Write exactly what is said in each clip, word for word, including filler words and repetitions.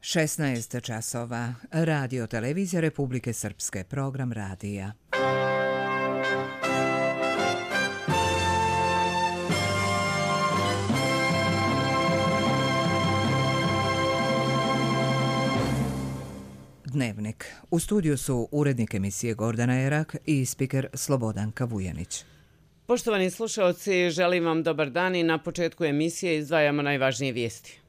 šesnaest časova. Radio Televizija Republike Srpske. Program radija. Dnevnik. U studiju su urednik emisije Gordana Erak i spiker Slobodanka Vujanić. Poštovani slušalci, želim vam dobar dan i na početku emisije izdvajamo najvažnije vijesti.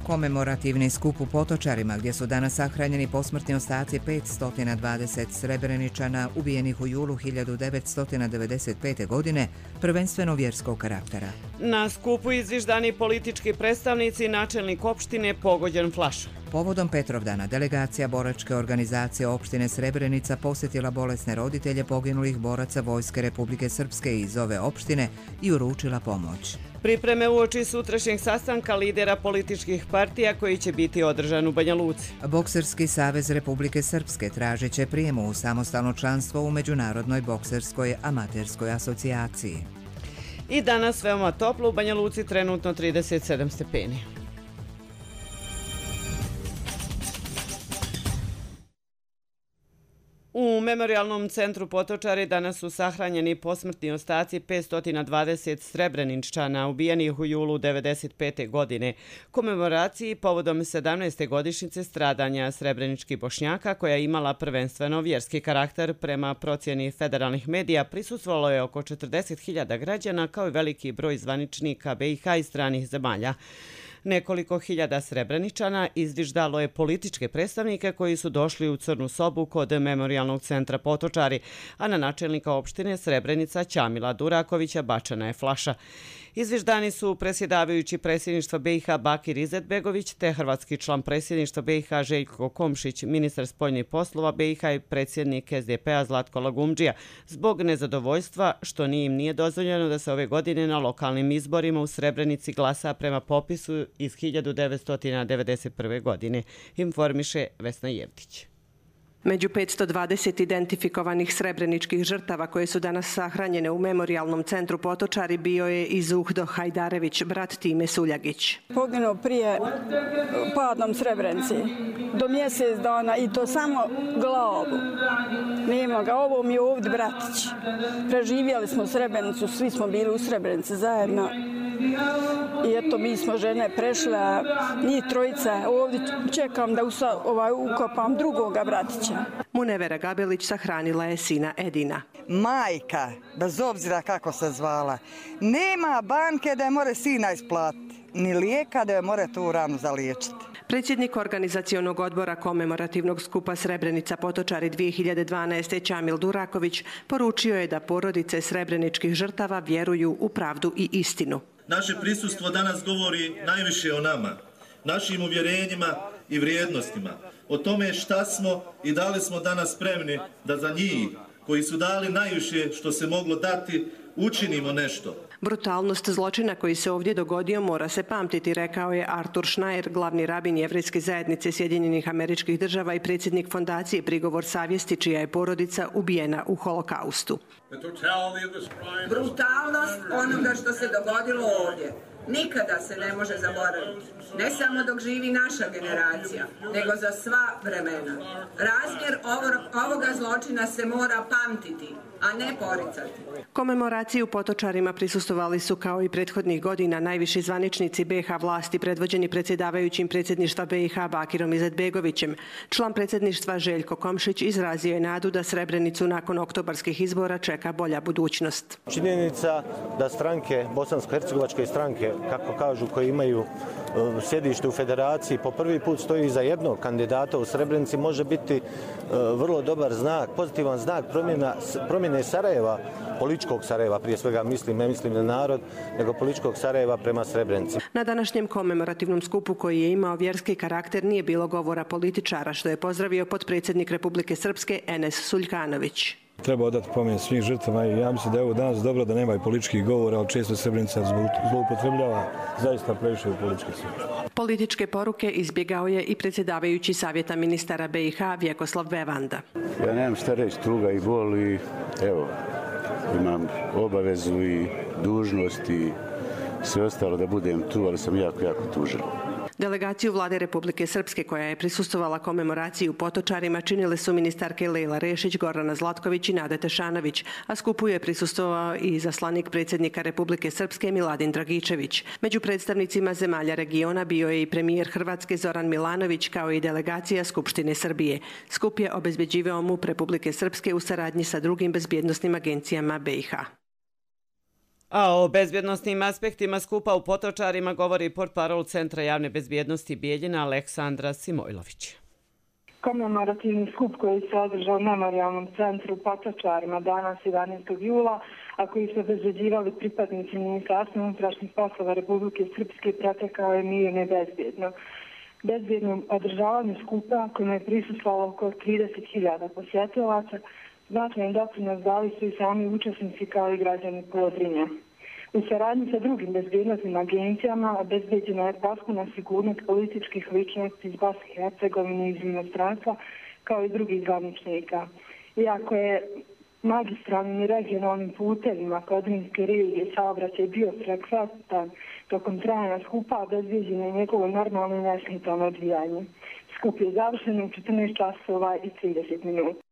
Komemorativni skup u Potočarima, gdje su danas sahranjeni posmrtni ostaci petsto dvadeset Srebreničana ubijenih u julu hiljadu devetsto devedeset pete. godine, prvenstveno vjerskog karaktera. Na skupu izviždani politički predstavnici i načelnik opštine pogođen flašom. Povodom Petrovdana delegacija boračke organizacije opštine Srebrenica posjetila bolesne roditelje poginulih boraca Vojske Republike Srpske iz ove opštine i uručila pomoć. Pripreme uoči sutrašnjeg sastanka lidera političkih partija koji će biti održan u Banja Luci. Bokserski savez Republike Srpske tražit će prijemu u samostalno članstvo u Međunarodnoj bokserskoj amaterskoj asocijaciji. I danas veoma toplo u Banja Luci, trenutno trideset sedam stepeni. U Memorijalnom centru Potočari danas su sahranjeni posmrtni ostaci petsto dvadeset Srebreničana ubijenih u julu devedeset pete. godine. Komemoraciji povodom sedamnaeste godišnjice stradanja srebreničkih Bošnjaka, koja je imala prvenstveno vjerski karakter, prema procjeni federalnih medija prisustvovalo je oko četrdeset hiljada građana kao i veliki broj zvaničnika be i ha i stranih zemalja. Nekoliko hiljada Srebreničana izviždalo je političke predstavnike koji su došli u Crnu sobu kod Memorijalnog centra Potočari, a na načelnika opštine Srebrenica Ćamila Durakovića bačena je flaša. Izviždani su predsjedavajući predsjedništva be i ha Bakir Izetbegović te hrvatski član predsjedništva be i ha Željko Komšić, ministar spoljnih poslova be i ha i predsjednik es de pe a Zlatko Lagumdžija, zbog nezadovoljstva što ni im nije dozvoljeno da se ove godine na lokalnim izborima u Srebrenici glasa prema popisu iz hiljadu devetsto devedeset prve. godine, informiše Vesna Jevtić. Među petsto dvadeset identifikovanih srebreničkih žrtava koje su danas sahranjene u Memorijalnom centru Potočari bio je i Zuhdo Hajdarević, brat Time Suljagić. Poginuo prije padom Srebrenici do mjesec dana i to samo glavu. Nema ga, ovo mi je ovdje bratić. Preživjeli smo Srebrenicu, svi smo bili u Srebrenici zajedno. I eto, mi smo žene prešle, njih trojica, ovdje čekam da usa, ovaj, ukopam drugoga bratića. Munevera Gabelić sahranila je sina Edina. Majka, bez obzira kako se zvala, nema banke da je more sina isplatiti, ni lijeka da je more tu ranu zaliječiti. Predsjednik organizacionog odbora komemorativnog skupa Srebrenica Potočari dvije hiljade dvanaeste. Ćamil Duraković poručio je da porodice srebreničkih žrtava vjeruju u pravdu i istinu. Naše prisustvo danas govori najviše o nama, našim uvjerenjima i vrijednostima, o tome šta smo i da li smo danas spremni da za njih, koji su dali najviše što se moglo dati, učinimo nešto. Brutalnost zločina koji se ovdje dogodio mora se pamtiti, rekao je Artur Schneier, glavni rabin Jevrejske zajednice Sjedinjenih Američkih Država i predsjednik fondacije Prigovor savjesti, čija je porodica ubijena u holokaustu. Brutalnost onoga što se dogodilo ovdje nikada se ne može zaboraviti. Ne samo dok živi naša generacija, nego za sva vremena. Razmjer ovoga zločina se mora pamtiti, a ne poricati. Komemoraciji u Potočarima prisustvovali su kao i prethodnih godina najviši zvaničnici be i ha vlasti predvođeni predsjedavajućim predsjedništva be i ha Bakirom Izetbegovićem. Član predsjedništva Željko Komšić izrazio je nadu da Srebrenicu nakon oktobarskih izbora čeka bolja budućnost. Činjenica da stranke, bosansko-hercegovačke stranke, kako kažu, koji imaju sjedište u federaciji, po prvi put stoji iza jednog kandidata u Srebrenici, može biti vrlo dobar znak, pozitivan znak promjena, promjene Sarajeva, političkog Sarajeva, prije svega mislim, ne mislim na narod, nego političkog Sarajeva prema Srebrenici. Na današnjem komemorativnom skupu koji je imao vjerski karakter nije bilo govora političara, što je pozdravio potpredsjednik Republike Srpske Enes Suljkanović. Treba odati pomen svim žrtvama i ja mislim da je ovo danas dobro da nema i političkih govora, ali često Srebrenica zloupotrebljava zaista previše u politički svijet. Političke poruke izbjegao je i predsjedavajući savjeta ministara be i ha Vjekoslav Bevanda. Ja nemam šta reći, tuga i bol i evo, imam obavezu i dužnost i sve ostalo da budem tu, ali sam jako, jako tužan. Delegaciju Vlade Republike Srpske koja je prisustvovala komemoraciji u Potočarima činile su ministarke Lejla Rešić, Gordana Zlatković i Nada Tešanović, a skupu je prisustvovao i izaslanik predsjednika Republike Srpske Miladin Dragičević. Među predstavnicima zemalja regiona bio je i premijer Hrvatske Zoran Milanović kao i delegacija Skupštine Srbije. Skup je obezbeđivao MUP Republike Srpske u saradnji sa drugim bezbjednosnim agencijama B i H. A o bezbjednostnim aspektima skupa u Potočarima govori portparol Centra javne bezbjednosti Bijeljina Aleksandra Simojlović. Komemorativni skup koji se održao u Memorijalnom centru u Potočarima danas jedanaestog jula, a koji su obezbeđivali pripadnici Ministarstva unutrašnjih poslova Republike Srpske, protekao je mirno i bezbjedno. Bezbjednom održavanju skupa, kojima je prisustvovalo oko trideset hiljada posjetilaca, značajan doprinos dali su i sami učesnici kao i građani Podrinja. U saradnji sa drugim bezbjednosnim agencijama obezbeđena je potpuna sigurnost političkih ličnosti iz Bosne i Hercegovine i iz inostranstva kao i drugih zvaničnika. Iako je magistralnim i regionalnim putevima Podrinjske regije saobraćaj bio frekventan tokom trajanja skupa, obezbeđeno je njegovo normalno i nesmetano odvijanje. Skup je završen u četrnaest časova i trideset minuta.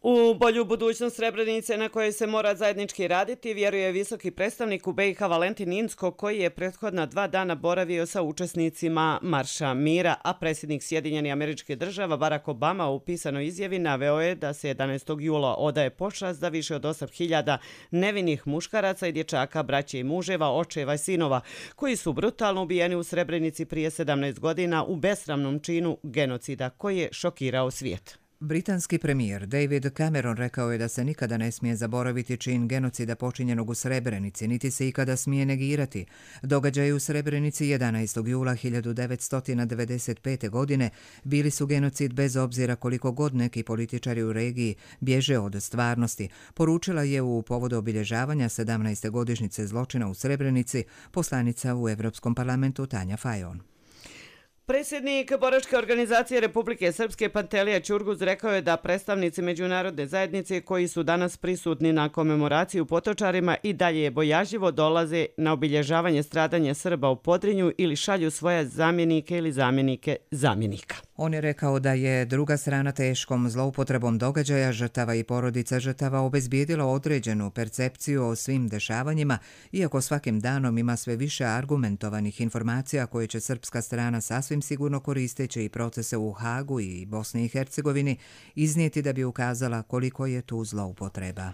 U bolju budućnost Srebrenice na kojoj se mora zajednički raditi vjeruje visoki predstavnik u B i H Valentin Inzko, koji je prethodna dva dana boravio sa učesnicima Marša mira, a predsjednik Sjedinjenih Američkih Država Barack Obama u pisanoj izjavi naveo je da se jedanaestog jula odaje počast za više od osam hiljada nevinih muškaraca i dječaka, braće i muževa, očeva i sinova, koji su brutalno ubijeni u Srebrenici prije sedamnaest godina u besramnom činu genocida koji je šokirao svijet. Britanski premijer David Cameron rekao je da se nikada ne smije zaboraviti čin genocida počinjenog u Srebrenici, niti se ikada smije negirati. Događaji u Srebrenici jedanaestog jula hiljadu devetsto devedeset pete. godine bili su genocid bez obzira koliko god neki političari u regiji bježe od stvarnosti, poručila je u povodu obilježavanja sedamnaeste godišnjice zločina u Srebrenici poslanica u Evropskom parlamentu Tanja Fajon. Predsjednik Boračke organizacije Republike Srpske Pantelija Ćurguz rekao je da predstavnici međunarodne zajednice koji su danas prisutni na komemoraciji u Potočarima i dalje bojažljivo dolaze na obilježavanje stradanja Srba u Podrinju ili šalju svoje zamjenike ili zamjenike zamjenika. On je rekao da je druga strana teškom zloupotrebom događaja žrtava i porodica žrtava obezbijedila određenu percepciju o svim dešavanjima, iako svakim danom ima sve više argumentovanih informacija koje će srpska strana sasvim sigurno koristeći i procese u Hagu i Bosni i Hercegovini iznijeti da bi ukazala koliko je tu zloupotreba.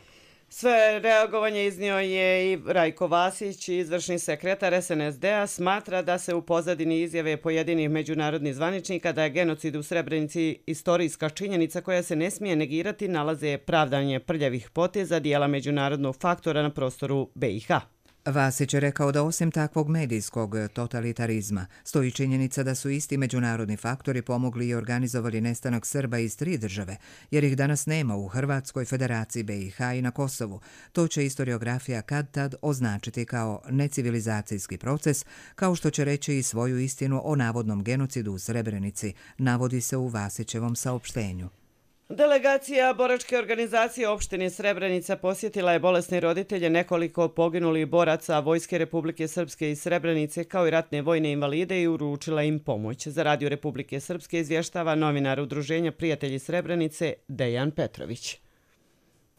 Sve reagovanje iznio je i Rajko Vasić, izvršni sekretar S N S D-a, smatra da se u pozadini izjave pojedinih međunarodnih zvaničnika da je genocid u Srebrenici istorijska činjenica koja se ne smije negirati, nalaze pravdanje prljavih poteza dijela međunarodnog faktora na prostoru B i H. Vasić je rekao da osim takvog medijskog totalitarizma stoji činjenica da su isti međunarodni faktori pomogli i organizovali nestanak Srba iz tri države, jer ih danas nema u Hrvatskoj, Federaciji B i H i na Kosovu. To će historiografija kad tad označiti kao necivilizacijski proces, kao što će reći i svoju istinu o navodnom genocidu u Srebrenici, navodi se u Vasićevom saopštenju. Delegacija Boračke organizacije opštine Srebrenica posjetila je bolesne roditelje nekoliko poginulih boraca Vojske Republike Srpske iz Srebrenice kao i ratne vojne invalide i uručila im pomoć. Za Radio Republike Srpske izvještava novinar Udruženja Prijatelji Srebrenice Dejan Petrović.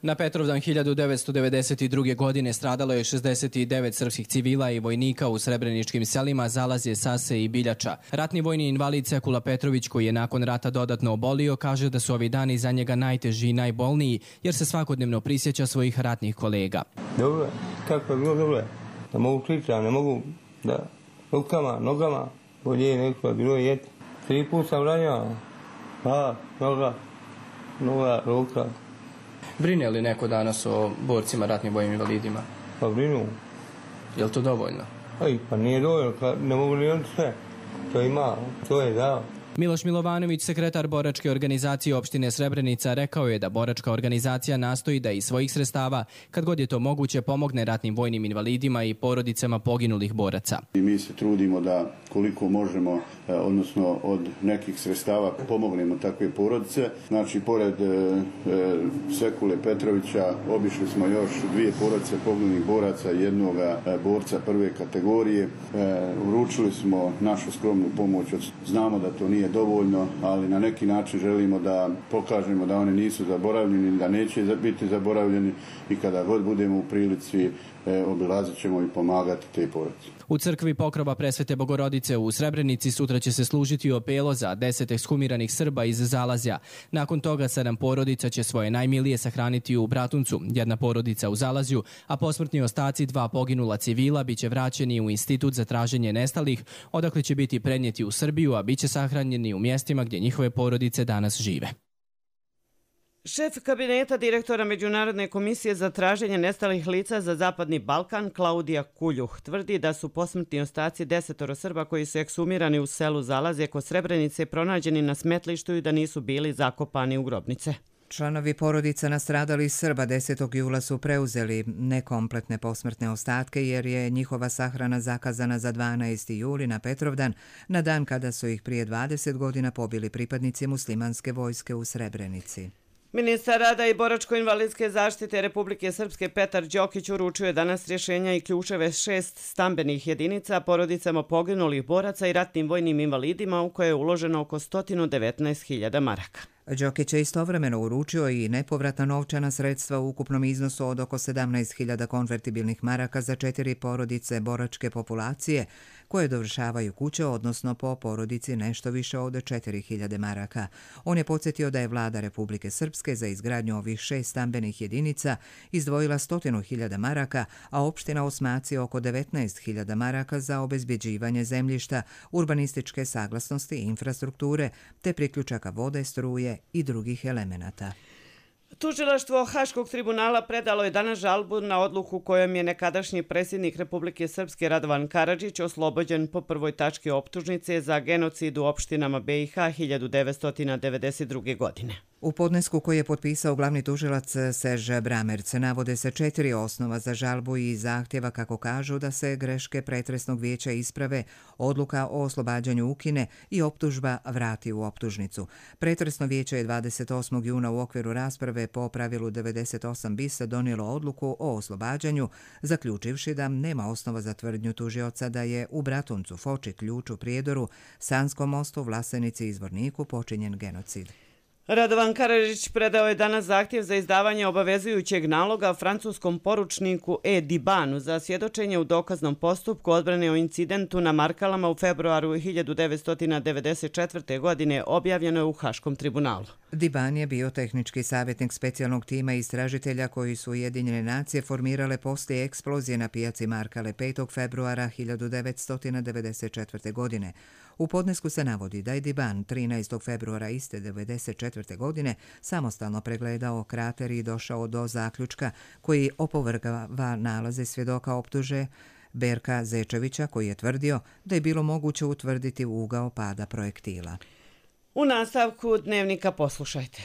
Na Petrovdan hiljadu devetsto devedeset druge. godine stradalo je šezdeset devet srpskih civila i vojnika u srebreničkim selima Zalazje, Sase i Biljača. Ratni vojni invalid Sekula Petrović, koji je nakon rata dodatno obolio, kaže da su ovi dani za njega najteži i najbolniji, jer se svakodnevno prisjeća svojih ratnih kolega. Dobro, kako je bilo dobro. Ne mogu pričati, ne mogu da rukama, nogama, bolje neko je bilo jeti. Tri put sam ranjao. Pa, noga, noga, ruka. Brine li neko danas o borcima, ratnim vojnim invalidima? Pa brinu. Je li to dovoljno? Aj, pa nije dovoljno, ne mogu ni on sve. To ima, to je dao. Miloš Milovanović, sekretar boračke organizacije opštine Srebrenica, rekao je da boračka organizacija nastoji da iz svojih sredstava, kad god je to moguće, pomogne ratnim vojnim invalidima i porodicama poginulih boraca. I mi se trudimo da koliko možemo, odnosno od nekih sredstava, pomognemo takve porodice. Znači, pored e, Sekule Petrovića obišli smo još dvije porodice poginulih boraca i jednog borca prve kategorije. E, uručili smo našu skromnu pomoć. Znamo da to nije dovoljno, ali na neki način želimo da pokažemo da oni nisu zaboravljeni, da neće biti zaboravljeni i kada god budemo u prilici e, obilazit ćemo i pomagati te porodice. U crkvi Pokrova Presvete Bogorodice u Srebrenici sutra će se služiti opelo za deset ekshumiranih Srba iz Zalazja. Nakon toga sedam porodica će svoje najmilije sahraniti u Bratuncu, jedna porodica u Zalazju, a posmrtni ostaci dva poginula civila biće vraćeni u Institut za traženje nestalih, odakle će biti prenijeti u Srbiju, a biće sahranjeni u mjestima gdje njihove porodice danas žive. Šef kabineta direktora Međunarodne komisije za traženje nestalih lica za Zapadni Balkan, Klaudija Kuljuh, tvrdi da su posmrtni ostaci desetoro Srba koji su eksumirani u selu Zalazje kod Srebrenice pronađeni na smetlištu i da nisu bili zakopani u grobnice. Članovi porodica nastradalih Srba desetog jula su preuzeli nekompletne posmrtne ostatke jer je njihova sahrana zakazana za dvanaesti juli na Petrovdan, na dan kada su ih prije dvadeset godina pobili pripadnici muslimanske vojske u Srebrenici. Ministar rada i boračko-invalidske zaštite Republike Srpske Petar Đokić uručio je danas rješenja i ključeve šest stambenih jedinica porodicama poginulih boraca i ratnim vojnim invalidima u koje je uloženo oko sto devetnaest hiljada maraka. Đokić je istovremeno uručio i nepovratna novčana sredstva u ukupnom iznosu od oko sedamnaest hiljada konvertibilnih maraka za četiri porodice boračke populacije koje dovršavaju kuće, odnosno po porodici nešto više od četiri hiljade maraka. On je podsjetio da je vlada Republike Srpske za izgradnju ovih šest stambenih jedinica izdvojila stotinu hiljada maraka, a opština Osmaci oko devetnaest hiljada maraka za obezbjeđivanje zemljišta, urbanističke saglasnosti i infrastrukture, te priključaka vode, struje i drugih elemenata. Tužilaštvo Haškog tribunala predalo je danas žalbu na odluku kojom je nekadašnji predsjednik Republike Srpske Radovan Karadžić oslobođen po prvoj tački optužnice za genocid u opštinama B i H hiljadu devetsto devedeset druge. godine. U podnesku koji je potpisao glavni tužilac Serž Bramerc navode se četiri osnova za žalbu i zahtjeva, kako kažu, da se greške pretresnog vijeća isprave, odluka o oslobađanju ukine i optužba vrati u optužnicu. Pretresno vijeće je dvadeset osmog juna u okviru rasprave po pravilu devedeset osam bis donijelo odluku o oslobađanju, zaključivši da nema osnova za tvrdnju tužioca da je u Bratuncu, Foči, Ključu, Prijedoru, Sanskom mostu, Vlasenici i Zvorniku počinjen genocid. Radovan Karadžić predao je danas zahtjev za izdavanje obavezujućeg naloga francuskom poručniku E. Dibanu za svjedočenje u dokaznom postupku odbrane o incidentu na Markalama u februaru hiljadu devetsto devedeset četvrte. godine, objavljeno je u Haškom tribunalu. Diban je bio tehnički savjetnik specijalnog tima istražitelja koji su Ujedinjene nacije formirale poslije eksplozije na pijaci Markale petog februara hiljadu devetsto devedeset četvrte. godine. U podnesku se navodi da je Diban trinaestog februara iste devedeset četvrte. godine samostalno pregledao krater i došao do zaključka koji opovrgava nalaze svjedoka optuže Berka Zečevića, koji je tvrdio da je bilo moguće utvrditi ugao pada projektila. U nastavku dnevnika poslušajte.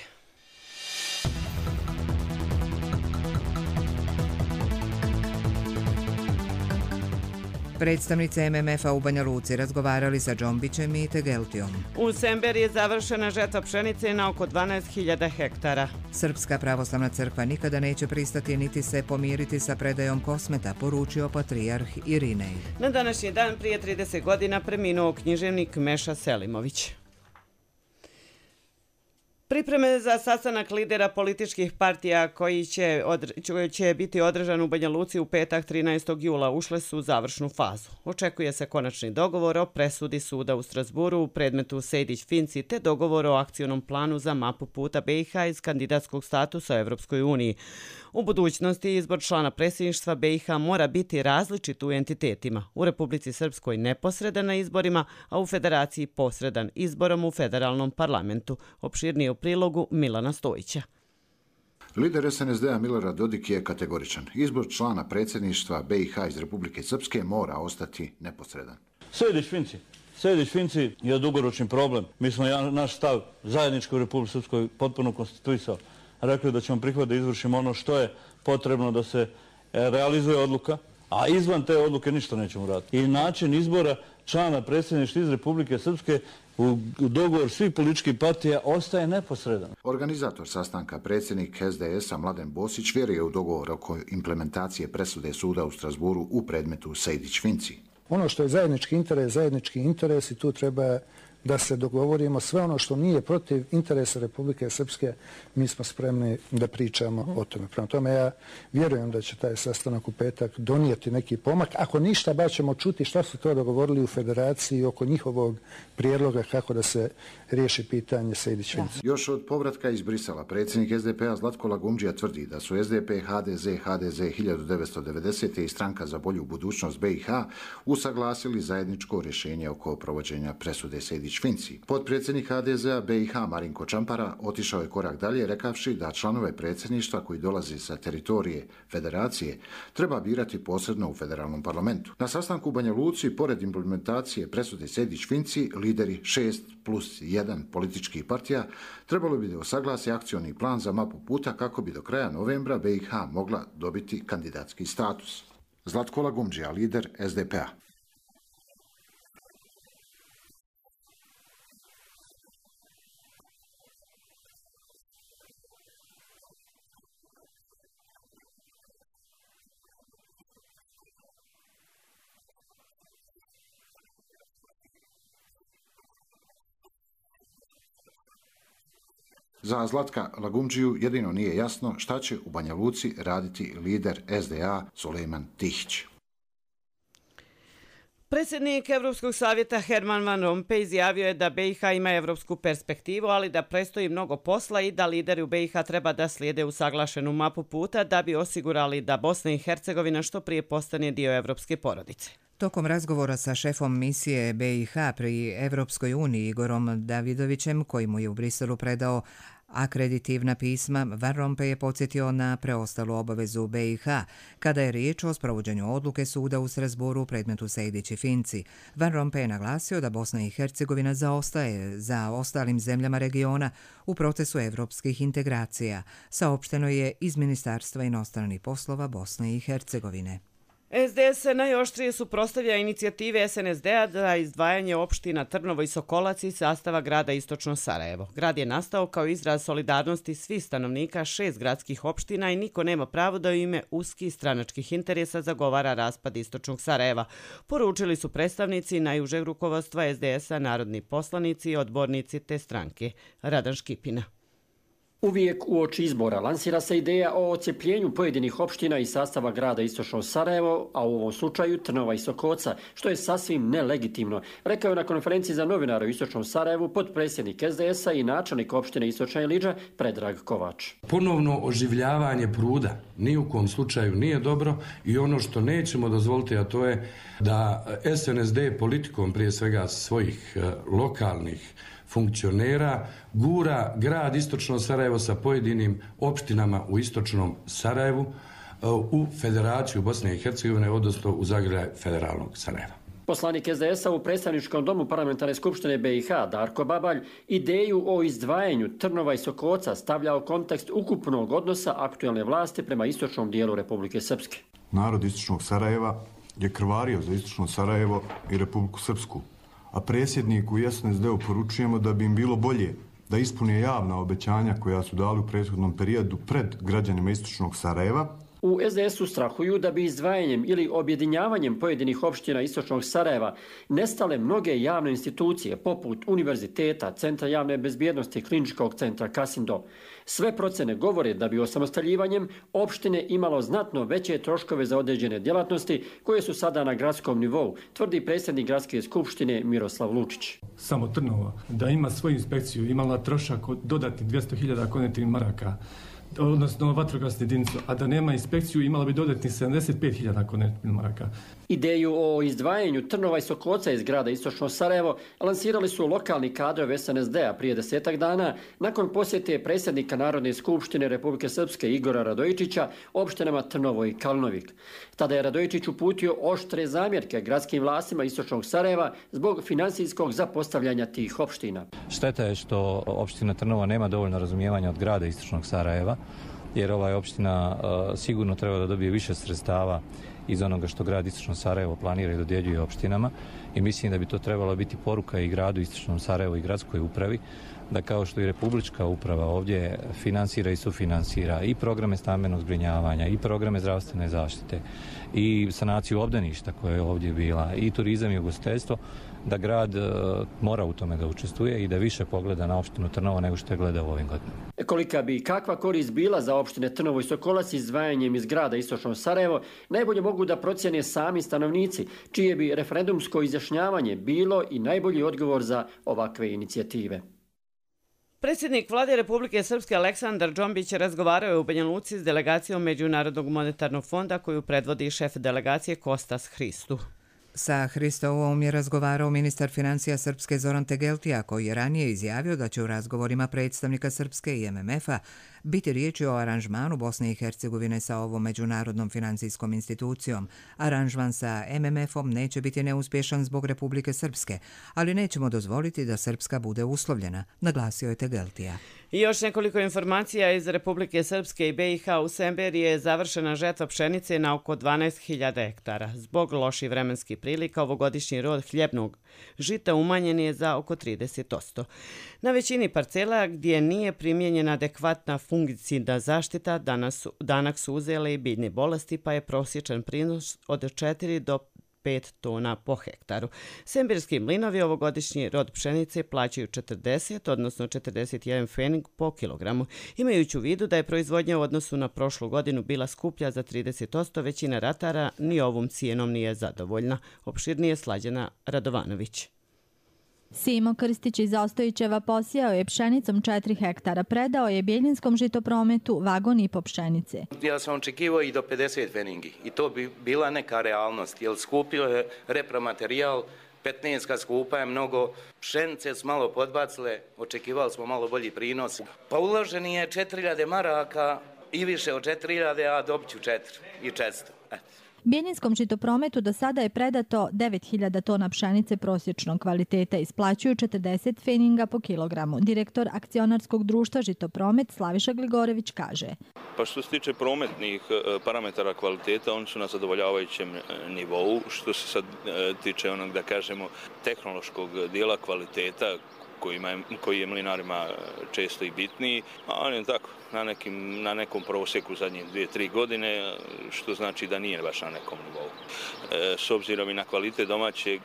Predstavnice M M F-a u Banja Luci razgovarali sa Džombićem i Tegeltijom. U Semberi je završena žetva pšenice na oko dvanaest hiljada hektara. Srpska pravoslavna crkva nikada neće pristati niti se pomiriti sa predajom Kosmeta, poručio patrijarh Irinej. Na današnji dan prije trideset godina preminuo književnik Meša Selimović. Pripreme za sastanak lidera političkih partija koji će, odre, će biti održan u Banja Luci u petak trinaestog jula ušle su u završnu fazu. Očekuje se konačni dogovor o presudi suda u Strasburu u predmetu Sejdić-Finci te dogovor o akcionom planu za mapu puta B i H iz kandidatskog statusa u Evropskoj uniji. U budućnosti izbor člana predsjedništva B i H mora biti različit u entitetima. U Republici Srpskoj neposredan na izborima, a u Federaciji posredan izborom u federalnom parlamentu. Opširnije u prilogu Milana Stojića. Lider S N S D-a Milorad Dodik je kategoričan. Izbor člana predsjedništva B i H iz Republike Srpske mora ostati neposredan. Sejdić-Finci. Sejdić-Finci je dugoročni problem. Mi smo naš stav zajednički u Republici Srpskoj potpuno konstituisao. Rekli da ćemo prihvatiti da izvršimo ono što je potrebno da se realizuje odluka, a izvan te odluke ništa nećemo raditi. I način izbora člana predsjedništva iz Republike Srpske u dogovor svih političkih partija ostaje neposredan. Organizator sastanka, predsjednik S D S-a Mladen Bosić, vjeruje u dogovor oko implementacije presude suda u Strasburu u predmetu Sejdić-Finci. Ono što je zajednički interes, zajednički interes i tu treba da se dogovorimo. Sve ono što nije protiv interesa Republike Srpske, mi smo spremni da pričamo o tome. Prema tome ja vjerujem da će taj sastanak u petak donijeti neki pomak. Ako ništa, baš ćemo čuti šta su to dogovorili u federaciji oko njihovog prijedloga kako da se riješi pitanje Sejdić-Finci. Još od povratka iz Brisela, predsjednik S D P-a Zlatko Lagumdžija tvrdi da su S D P, H D Z, H D Z hiljadu devetsto devedesete i Stranka za bolju budućnost B i H usaglasili zajedničko rješenje oko provođenja presude Sejdić-Finci. Potpredsjednik H D Z-a B i H Marinko Čampara otišao je korak dalje rekavši da članove predsjedništva koji dolaze sa teritorije federacije treba birati posredno u federalnom parlamentu. Na sastanku u Banja Luci, pored implementacije presude Sejdić-Finci, lideri šest plus jedan političkih partija trebalo bi da osaglasi akcioni plan za mapu puta kako bi do kraja novembra B i H mogla dobiti kandidatski status. Zlatko Lagumdžija, lider S D P-a. Za Zlatka Lagumdžiju jedino nije jasno šta će u Banja Luci raditi lider S D A Sulejman Tihić. Predsjednik Evropskog savjeta Herman Van Rompuy izjavio je da B i H ima evropsku perspektivu, ali da predstoji mnogo posla i da lideri u B i H treba da slijede usaglašenu mapu puta da bi osigurali da Bosna i Hercegovina što prije postane dio evropske porodice. Tokom razgovora sa šefom misije B i H pri Evropskoj uniji Igorom Davidovićem, koji mu je u Briselu predao akreditivna pisma, Van Rompuy je podsjetio na preostalu obavezu B i H kada je riječ o sprovođenju odluke suda u Strasburu u predmetu Sejdić-Finci. Van Rompuy je naglasio da Bosna i Hercegovina zaostaje za ostalim zemljama regiona u procesu evropskih integracija, saopšteno je iz Ministarstva inostranih poslova Bosne i Hercegovine. S D S najoštrije suprotstavlja inicijative S N S D-a za izdvajanje opština Trnovo i Sokolac iz sastava grada Istočno Sarajevo. Grad je nastao kao izraz solidarnosti svih stanovnika šest gradskih opština i niko nema pravo da u ime uskih stranačkih interesa zagovara raspad Istočnog Sarajeva. Poručili su predstavnici najužeg rukovodstva S D S-a, narodni poslanici i odbornici te stranke. Radan Škipina. Uvijek uoči izbora lansira se ideja o odcepljenju pojedinih opština iz sastava grada Istočno Sarajevo, a u ovom slučaju Trnova i Sokoca, što je sasvim nelegitimno, rekao je na konferenciji za novinara u Istočnom Sarajevu potpredsjednik S D S-a i načelnik opštine Istočna Ilidža Predrag Kovač. Ponovno oživljavanje pruda ni u kom slučaju nije dobro i ono što nećemo dozvoliti, a to je da S N S D politikom prije svega svojih lokalnih funkcionera gura grad Istočno Sarajevo sa pojedinim opštinama u Istočnom Sarajevu u Federaciju Bosne i Hercegovine, odnosno u zagrljaj federalnog Sarajeva. Poslanik S D S-a u predstavničkom domu parlamentarne skupštine B i H Darko Babalj ideju o izdvajanju Trnova i Sokoca stavlja u kontekst ukupnog odnosa aktuelne vlasti prema istočnom dijelu Republike Srpske. Narod Istočnog Sarajeva je krvario za Istočno Sarajevo i Republiku Srpsku, a predsjedniku i S N S D-u poručujemo da bi im bilo bolje da ispune javna obećanja koja su dali u prethodnom periodu pred građanima Istočnog Sarajeva. U S D S-u strahuju da bi izdvajanjem ili objedinjavanjem pojedinih opština Istočnog Sarajeva nestale mnoge javne institucije poput univerziteta, centra javne bezbjednosti, kliničkog centra Kasindo. Sve procene govore da bi osamostaljivanjem opštine imalo znatno veće troškove za određene djelatnosti koje su sada na gradskom nivou, tvrdi predsjednik gradske skupštine Miroslav Lučić. Samo Trnovo da ima svoju inspekciju imala trošak od dodatnih dvjesto hiljada konetnih maraka, odnosno vatrogasnu jedinicu, a da nema inspekciju imala bi dodatnih sedamdeset pet hiljada konvertibilnih maraka. Ideju o izdvajanju Trnova i Sokolca iz grada Istočno Sarajevo lansirali su lokalni kadrovi es en es de a prije desetak dana nakon posjete predsjednika Narodne skupštine Republike Srpske Igora Radojičića opštinama Trnovo i Kalnovik. Tada je Radojičić uputio oštre zamjerke gradskim vlastima Istočnog Sarajeva zbog finansijskog zapostavljanja tih opština. Šteta je što opština Trnovo nema dovoljno razumijevanja od grada Istočnog Sarajeva, jer ova opština uh, sigurno treba da dobije više sredstava iz onoga što grad Istočno Sarajevo planira i dodjeljuje opštinama i mislim da bi to trebalo biti poruka i gradu Istočnom Sarajevu i gradskoj upravi da kao što i Republička uprava ovdje finansira i sufinansira i programe stambenog zbrinjavanja i programe zdravstvene zaštite i sanaciju obdaništa koja je ovdje bila i turizam i ugostiteljstvo, da grad uh, mora u tome da učestvuje i da više pogleda na opštinu Trnovo nego što je gledao u ovim godinama. Kolika bi kakva korist bila za opštine Trnovo i Sokolac izdvajanjem iz grada Istočno Sarajevo, najbolje mogu da procjene sami stanovnici, čije bi referendumsko izjašnjavanje bilo i najbolji odgovor za ovakve inicijative. Predsjednik Vlade Republike Srpske Aleksandar Džombić razgovarao je u Banja Luci s delegacijom Međunarodnog monetarnog fonda koju predvodi šef delegacije Kostas Hristu. Sa Hristovom je razgovarao ministar financija Srpske Zoran Tegeltija, koji je ranije izjavio da će u razgovorima predstavnika Srpske i em em efa biti riječi o aranžmanu Bosne i Hercegovine sa ovom međunarodnom financijskom institucijom. Aranžman sa em em efom neće biti neuspješan zbog Republike Srpske, ali nećemo dozvoliti da Srpska bude uslovljena, naglasio je Tegeltija. I još nekoliko informacija iz Republike Srpske i be i ha. U Semberiji je završena žetva pšenice na oko dvanaest hiljada hektara. Zbog loših vremenskih prilika ovogodišnji rod hljebnog žita umanjen je za oko trideset posto. Na većini parcela gdje nije primijenjena adekvatna fungicidna zaštita, danas, danak su uzele i biljne bolesti, pa je prosječan prinos od četiri do pet tona po hektaru. Semberski mlinovi ovogodišnji rod pšenice plaćaju četrdeset, odnosno četrdeset jedan pfening po kilogramu. Imajući u vidu da je proizvodnja u odnosu na prošlu godinu bila skuplja za trideset posto, većina ratara ni ovom cijenom nije zadovoljna. Opširnije Slađana Radovanović. Simo Krstić iz Ostojićeva posijao je pšenicom četiri hektara. Predao je Bjeljinskom žitoprometu vagon i po pšenice. Ja sam očekivao i do pedeset pfeningi i to bi bila neka realnost, jer skupio je repromaterijal, petnaestka skupa je mnogo, pšenice su malo podbacile, očekivali smo malo bolji prinos. Pa uloženi je četiri hiljade maraka i više od četiri hiljade, a dobit ću četiri i četiristo. Bjeljinskom žitoprometu do sada je predato devet hiljada tona pšenice prosječnog kvaliteta, isplaćuju četrdeset pfeninga po kilogramu. Direktor akcionarskog društva Žitopromet Slaviša Gligorević kaže. Pa što se tiče prometnih parametara kvaliteta, oni su na zadovoljavajućem nivou. Što se sad tiče onog, da kažemo, tehnološkog dijela kvaliteta, koji je mlinarima često i bitniji, ali je tako, na, nekim, na nekom prosjeku zadnje dvije, tri godine, što znači da nije baš na nekom nivou. E, s obzirom i na kvalitet domaće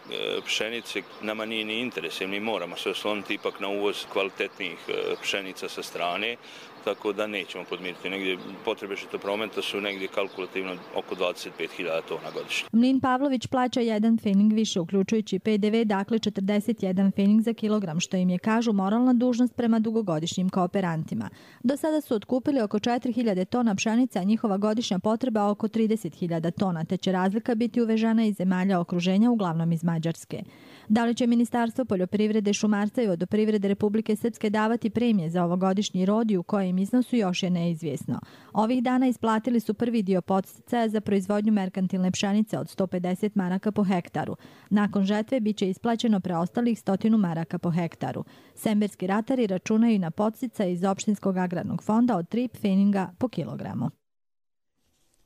pšenice, nama nije ni interes, mi moramo se osloniti ipak na uvoz kvalitetnih pšenica sa strane, tako da nećemo podmiriti. Negdje potrebe žitoprometa su negdje kalkulativno oko dvadeset pet hiljada tona godišnje. Mlin Pavlović plaća jedan pfening više, uključujući pe de ve, dakle četrdeset jedan pfening za kilogram, što im je, kažu, moralna dužnost prema dugogodišnjim kooperantima. Do sada su otkupili oko četiri hiljade tona pšenice, a njihova godišnja potreba oko trideset hiljada tona, te će razlika biti uvežana iz zemalja okruženja, uglavnom iz Mađarske. Da li će Ministarstvo poljoprivrede, šumarstva i vodoprivrede Republike Srpske davati premije za ovogodišnji rod i u kojem iznosu, još je neizvjesno. Ovih dana isplatili su prvi dio podsticaja za proizvodnju merkantilne pšenice od sto pedeset maraka po hektaru. Nakon žetve biće isplaćeno preostalih stotinu maraka po hektaru. Semberski ratari računaju na podsticaj iz Opštinskog agrarnog fonda od tri pfeninga po kilogramu.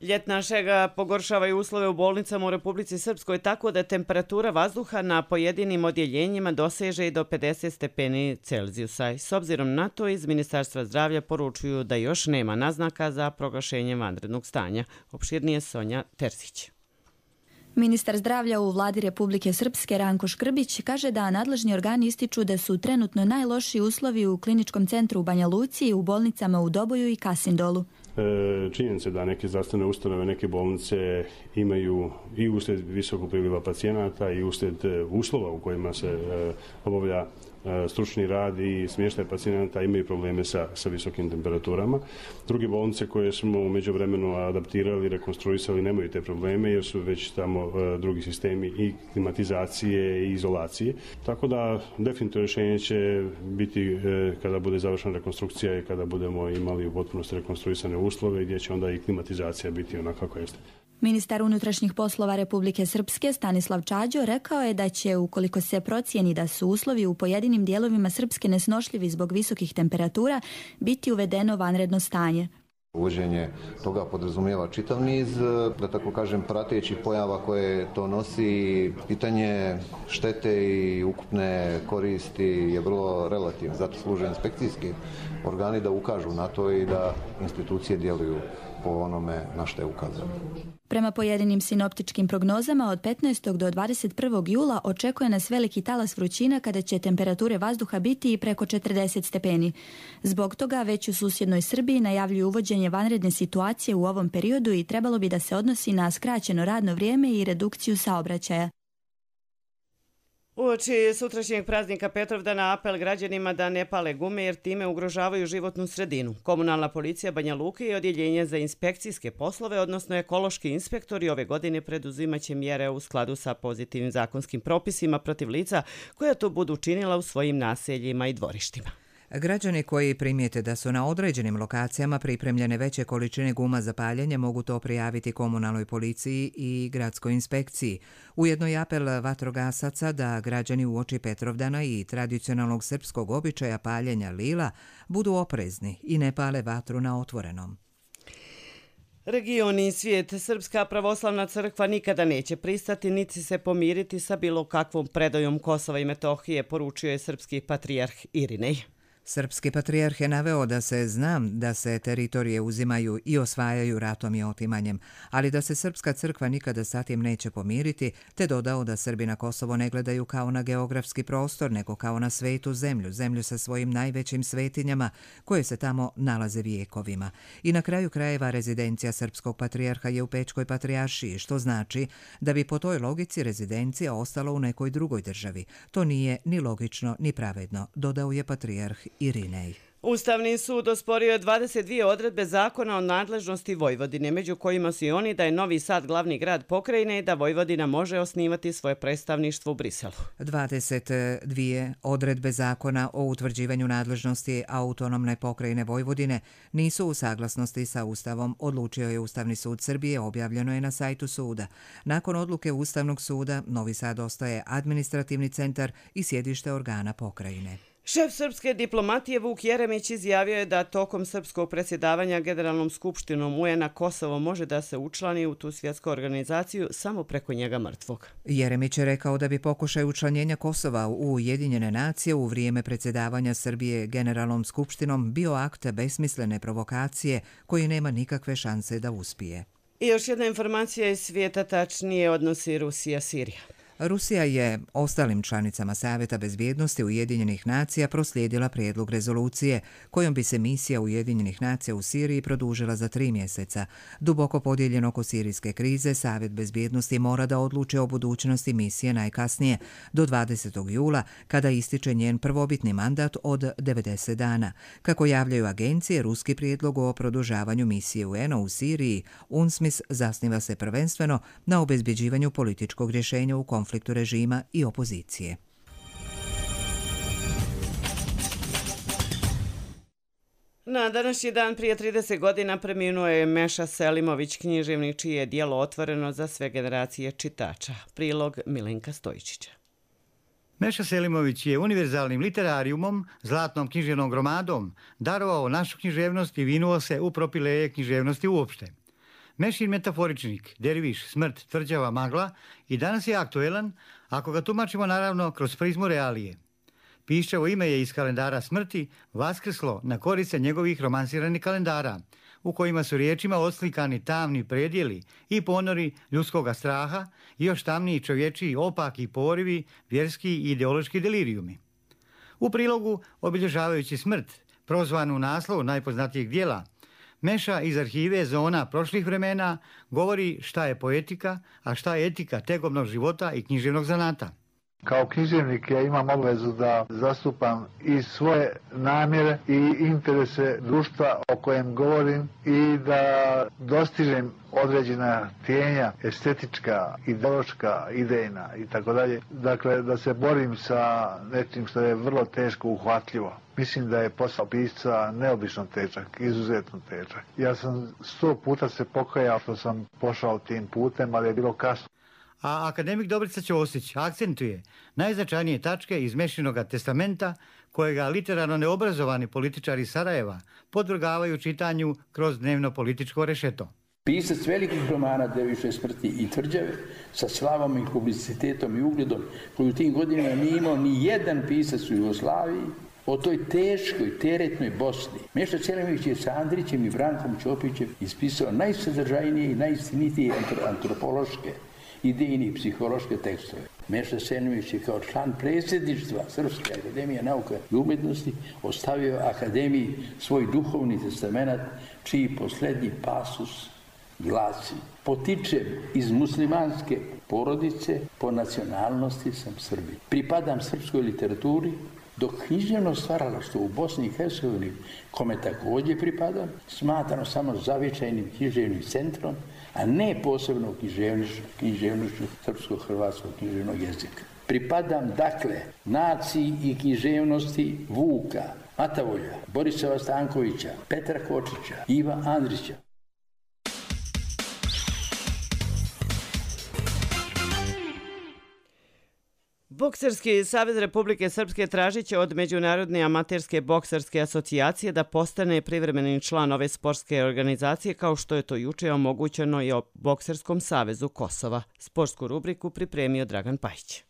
Ljetna šega pogoršavaju uslove u bolnicama u Republici Srpskoj tako da temperatura vazduha na pojedinim odjeljenjima doseže i do pedeset stepeni Celzijusa. S obzirom na to, iz Ministarstva zdravlja poručuju da još nema naznaka za proglašenje vanrednog stanja. Opširnije Sonja Terzić. Ministar zdravlja u vladi Republike Srpske Ranko Škrbić kaže da nadležni organi ističu da su trenutno najlošiji uslovi u kliničkom centru u Banja Luci i u bolnicama u Doboju i Kasindolu. Činjenica da neke zdravstvene ustanove, neke bolnice imaju i uslijed visokog priliva pacijenata i uslijed uslova u kojima se obavlja stručni rad i smještaj pacijenata imaju probleme sa, sa visokim temperaturama. Druge bolnice koje smo u međuvremenu adaptirali, rekonstruisali nemaju te probleme jer su već tamo drugi sistemi i klimatizacije i izolacije. Tako da definitivno rješenje će biti kada bude završena rekonstrukcija i kada budemo imali u potpunosti rekonstruisane uslove gdje će onda i klimatizacija biti onako kako jeste. Ministar unutrašnjih poslova Republike Srpske Stanislav Čađo rekao je da će, ukoliko se procijeni da su uslovi u pojedinim dijelovima Srpske nesnošljivi zbog visokih temperatura, biti uvedeno vanredno stanje. Uvođenje toga podrazumijeva čitav niz, da tako kažem, pratećih pojava koje to nosi. Pitanje štete i ukupne koristi je vrlo relativno. Zato služe inspekcijski organi da ukažu na to i da institucije djeluju po onome na što je ukazano. Prema pojedinim sinoptičkim prognozama od petnaestog do dvadeset prvog jula očekuje nas veliki talas vrućina kada će temperature vazduha biti i preko četrdeset stepeni. Zbog toga već u susjednoj Srbiji najavljuju uvođenje vanredne situacije u ovom periodu i trebalo bi da se odnosi na skraćeno radno vrijeme i redukciju saobraćaja. Uoči sutrašnjeg praznika Petrovdana apel građanima da ne pale gume jer time ugrožavaju životnu sredinu. Komunalna policija Banja Luke i odjeljenje za inspekcijske poslove, odnosno ekološki inspektori, ove godine preduzimaće mjere u skladu sa pozitivnim zakonskim propisima protiv lica koja to budu činila u svojim naseljima i dvorištima. Građani koji primijete da su na određenim lokacijama pripremljene veće količine guma za paljenje mogu to prijaviti komunalnoj policiji i gradskoj inspekciji. Ujedno je apel vatrogasaca da građani uoči Petrovdana i tradicionalnog srpskog običaja paljenja lila budu oprezni i ne pale vatru na otvorenom. Region i svijet, Srpska pravoslavna crkva nikada neće pristati niti se pomiriti sa bilo kakvom predajom Kosova i Metohije, poručio je srpski patrijarh Irinej. Srpski patrijarh je naveo da se zna da se teritorije uzimaju i osvajaju ratom i otimanjem, ali da se Srpska crkva nikada sa tim neće pomiriti, te dodao da Srbi na Kosovo ne gledaju kao na geografski prostor, nego kao na svetu zemlju, zemlju sa svojim najvećim svetinjama koje se tamo nalaze vijekovima. I na kraju krajeva rezidencija srpskog patrijarha je u Pečkoj patrijaršiji, što znači da bi po toj logici rezidencija ostala u nekoj drugoj državi. To nije ni logično ni pravedno, dodao je patrijarh Irinej. Ustavni sud osporio je dvadeset dvije odredbe zakona o nadležnosti Vojvodine, među kojima su i oni da je Novi Sad glavni grad pokrajine i da Vojvodina može osnivati svoje predstavništvo u Briselu. dvadeset dvije odredbe zakona o utvrđivanju nadležnosti autonomne pokrajine Vojvodine nisu u saglasnosti sa Ustavom, odlučio je Ustavni sud Srbije, objavljeno je na sajtu suda. Nakon odluke Ustavnog suda, Novi Sad ostaje administrativni centar i sjedište organa pokrajine. Šef srpske diplomatije Vuk Jeremić izjavio je da tokom srpskog predsjedavanja Generalnom skupštinom U N a Kosovo može da se učlani u tu svjetsku organizaciju samo preko njega mrtvog. Jeremić je rekao da bi pokušaj učlanjenja Kosova u Ujedinjene nacije u vrijeme predsjedavanja Srbije Generalnom skupštinom bio akt besmislene provokacije koji nema nikakve šanse da uspije. I još jedna informacija iz svijeta, tačnije odnosi Rusija-Sirija. Rusija je ostalim članicama Savjeta bezbjednosti Ujedinjenih nacija proslijedila prijedlog rezolucije kojom bi se misija Ujedinjenih nacija u Siriji produžila za tri mjeseca. Duboko podijeljen oko sirijske krize, Savjet bezbjednosti mora da odluči o budućnosti misije najkasnije do dvadesetog jula, kada ističe njen prvobitni mandat od devedeset dana. Kako javljaju agencije, ruski prijedlog o produžavanju misije U N a u Siriji, UNSMIS, zasniva se prvenstveno na obezbjeđivanju političkog rješenja u konfliktu konfliktu režima i opozicije. Na današnji dan prije trideset godina preminuo je Meša Selimović, književnik čije je djelo otvoreno za sve generacije čitača. Prilog Milenka Stojičića. Meša Selimović je univerzalnim literarijumom, zlatnom književnom gromadom, darovao našu književnost i vinuo se u propileje književnosti uopšte. Mešin metaforičnik, derviš, smrt, tvrđava, magla i danas je aktuelan, ako ga tumačimo naravno kroz prizmu realije. Piščevo ime je iz kalendara smrti vaskrslo na korice njegovih romansiranih kalendara, u kojima su riječima odslikani tamni predjeli i ponori ljudskoga straha i još tamniji čovječiji opaki porivi, vjerski i ideološki delirijumi. U prilogu, obilježavajući smrt, prozvanu naslovu najpoznatijeg dijela, Meša iz arhive zona prošlih vremena govori šta je poetika, a šta je etika tegobnog života i književnog zanata. Kao književnik ja imam obvezu da zastupam i svoje namjere i interese društva o kojem govorim i da dostižem određena htijenja, estetička, ideološka, idejna i tako dalje. Dakle, da se borim sa nečim što je vrlo teško uhvatljivo. Mislim da je posao pisca neobično težak, izuzetno težak. Ja sam sto puta se pokajao što sam pošao tim putem, ali je bilo kasno. A akademik Dobrica Ćosić akcentuje najznačajnije tačke iz Mešinoga testamenta kojega literarno neobrazovani političari Sarajeva podvrgavaju čitanju kroz dnevno političko rešeto. Pisac velikih romana Deviše smrti i tvrđave sa slavom i publicitetom i ugledom koju u tim godinama nije imao ni jedan pisac u Jugoslaviji, o toj teškoj, teretnoj Bosni. Meša Selimović je sa Andrićem i Brankom Ćopićem ispisao najsadržajnije i najistinitije antropološke, idejni i psihološke tekstove. Meša Selimović je kao član predsjedništva Srpske akademije nauka i umjetnosti ostavio akademiji svoj duhovni testament, čiji posljednji pasus glasi: potičem iz muslimanske porodice, po nacionalnosti sam Srbin. Pripadam srpskoj literaturi, dok književno stvaralaštvo u Bosni i Hercegovini, kome također pripadam, smatrano samo zavičajnim književnim centrom, a ne posebno književnošću srpsko-hrvatskog književnog jezika. Pripadam, dakle, naciji i književnosti Vuka, Matavolja, Borisova Stankovića, Petra Kočića, Iva Andrića. Bokserski savez Republike Srpske tražit će od Međunarodne amaterske bokserske asocijacije da postane privremeni član ove sportske organizacije, kao što je to juče omogućeno i o Bokserskom savezu Kosova. Sportsku rubriku pripremio Dragan Pajić.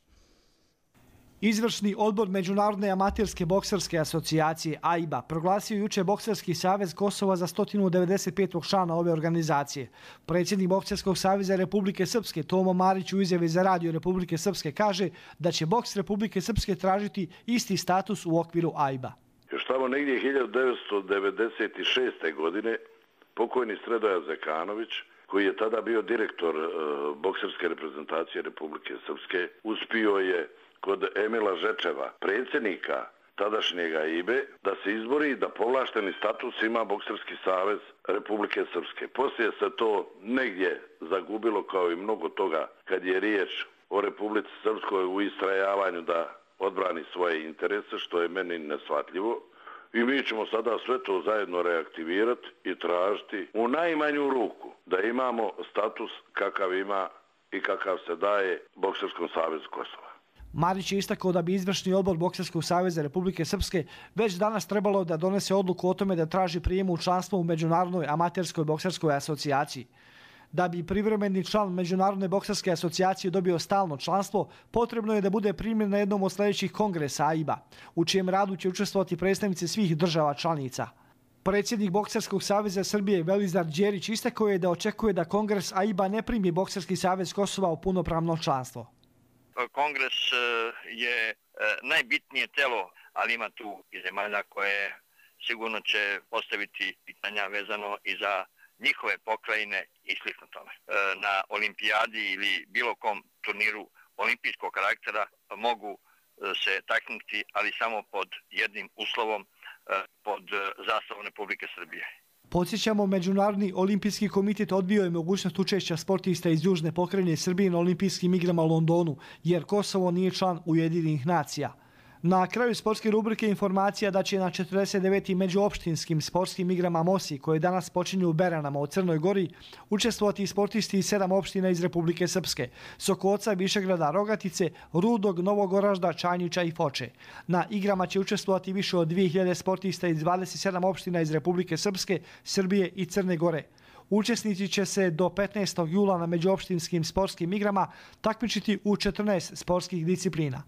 Izvršni odbor Međunarodne amaterske bokserske asocijacije A I B A proglasio juče Bokserski savez Kosova za sto devedeset petog člana ove organizacije. Predsjednik Bokserskog saveza Republike Srpske Tomo Marić u izjavi za radio Republike Srpske kaže da će boks Republike Srpske tražiti isti status u okviru A I B A. Još tamo negdje hiljadu devetsto devedeset šeste. godine pokojni Sredoja Zekanović, koji je tada bio direktor uh, bokserske reprezentacije Republike Srpske, uspio je kod Emila Žečeva, predsjednika tadašnjega A I B A, da se izbori da povlašteni status ima Bokserski savez Republike Srpske. Poslije se to negdje zagubilo, kao i mnogo toga kad je riječ o Republici Srpskoj u istrajavanju da odbrani svoje interese, što je meni neshvatljivo. I mi ćemo sada sve to zajedno reaktivirati i tražiti u najmanju ruku da imamo status kakav ima i kakav se daje Bokserskom savezu Kosova. Marić je istakao da bi izvršni odbor Bokserskog saveza Republike Srpske već danas trebalo da donese odluku o tome da traži prijem u članstvo u Međunarodnoj amaterskoj bokserskoj asocijaciji. Da bi privremeni član Međunarodne bokserske asocijacije dobio stalno članstvo, potrebno je da bude primljen na jednom od sljedećih kongresa A I B A, u čijem radu će učestvovati predstavnici svih država članica. Predsjednik Bokserskog saveza Srbije Velizar Đerić istakao je da očekuje da kongres A I B A ne primi Bokserski savez Kosova u punopravno članstvo. Kongres je najbitnije telo, ali ima tu i zemalja koje sigurno će postaviti pitanja vezano i za njihove pokrajine i slično tome. Na olimpijadi ili bilo kom turniru olimpijskog karaktera mogu se taknuti, ali samo pod jednim uslovom, pod zastavom Republike Srbije. Podsjećamo, Međunarodni olimpijski komitet odbio je mogućnost učešća sportista iz južne pokrajine Srbije na olimpijskim igrama u Londonu, jer Kosovo nije član Ujedinjenih nacija. Na kraju sportske rubrike informacija da će na četrdeset devetim međuopštinskim sportskim igrama Mosi, koje danas počinju u Beranama u Crnoj Gori, učestvovati sportisti iz sedam opština iz Republike Srpske: Sokoca, Višegrada, Rogatice, Rudog, Novog Oražda, Čajnića i Foče. Na igrama će učestvovati više od dvije hiljade sportista iz dvadeset sedam opština iz Republike Srpske, Srbije i Crne Gore. Učesnici će se do petnaestog jula na međuopštinskim sportskim igrama takmičiti u četrnaest sportskih disciplina.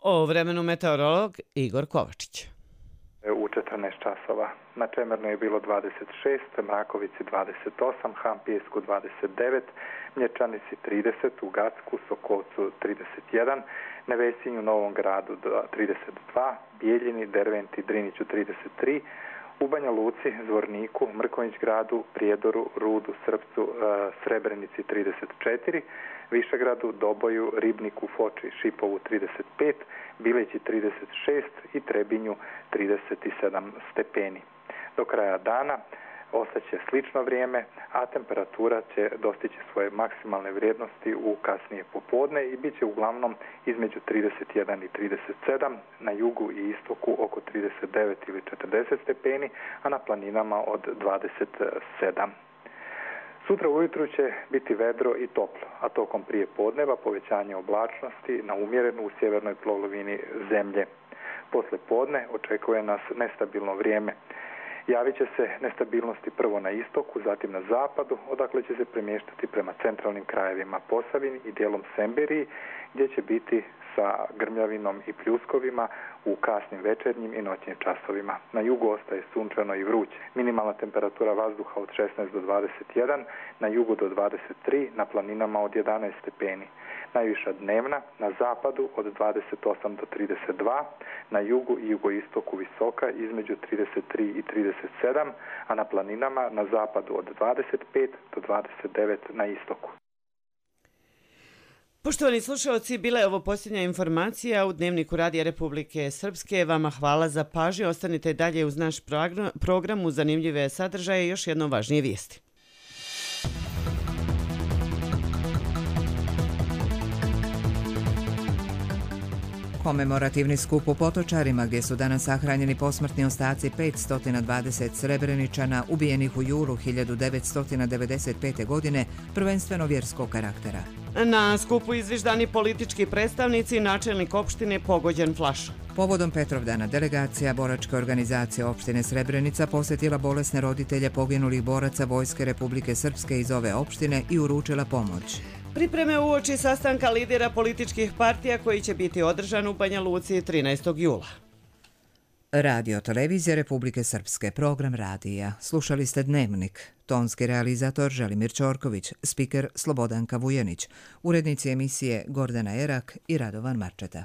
O vremenu meteorolog Igor Kovačić. U četrnaest časova na Čemernu je bilo dvadeset šest, Mrakovici dvadeset osam, Hampijesku dvadeset devet, Mlječanici trideset, u Gacku, Sokolcu trideset jedan, Nevesinju, Novom Gradu trideset dva, Bijeljini, Derventi, Driniću trideset tri, U Banja Luci, Zvorniku, Mrkonjić gradu, Prijedoru, Rudu, Srpcu, Srebrenici trideset četiri, Višegradu, Doboju, Ribniku, Foči, Šipovu trideset pet, Bileći trideset šest i Trebinju trideset sedam stepeni. Do kraja dana ostaće slično vrijeme, a temperatura će dostići svoje maksimalne vrijednosti u kasnije popodne i bit će uglavnom između trideset jedan i trideset sedam, na jugu i istoku oko trideset devet ili četrdeset stepeni, a na planinama od dvadeset sedam. Sutra ujutru će biti vedro i toplo, a tokom prije podneva povećanje oblačnosti na umjerenu u sjevernoj polovini zemlje. Posle podne očekuje nas nestabilno vrijeme. Javit će se nestabilnosti prvo na istoku, zatim na zapadu, odakle će se premještati prema centralnim krajevima Posavini i dijelom Semberiji, gdje će biti sa grmljavinom i pljuskovima u kasnim večernjim i noćnim časovima. Na jugu ostaje sunčano i vruće. Minimalna temperatura vazduha od šesnaest do dvadeset jedan, na jugu do dvadeset tri, na planinama od jedanaest stepeni. Najviša dnevna na zapadu od dvadeset osam do trideset dva, na jugu i jugoistoku visoka između trideset tri i trideset sedam, a na planinama na zapadu od dvadeset pet do dvadeset devet na istoku. Poštovani slušalci, bila je ovo posljednja informacija u Dnevniku Radija Republike Srpske. Vama hvala za pažnju. Ostanite dalje uz naš program uz zanimljive sadržaje i još jedno važnije vijesti. Komemorativni skup u Potočarima, gdje su danas sahranjeni posmrtni ostaci petsto dvadeset Srebreničana ubijenih u julu hiljadu devetsto devedeset pete. godine, prvenstveno vjerskog karaktera. Na skupu izviždani politički predstavnici, načelnik opštine pogođen flašom. Povodom Petrovdana delegacija boračke organizacije opštine Srebrenica posjetila bolesne roditelje poginulih boraca Vojske Republike Srpske iz ove opštine i uručila pomoć. Pripreme uoči sastanka lidera političkih partija koji će biti održan u Banja Luci trinaestog jula. Radio Televizija Republike Srpske, program radija. Slušali ste Dnevnik. Tonski realizator Želimir Ćorković, spiker Slobodanka Vujanić, urednici emisije Gordana Erak i Radovan Marčeta.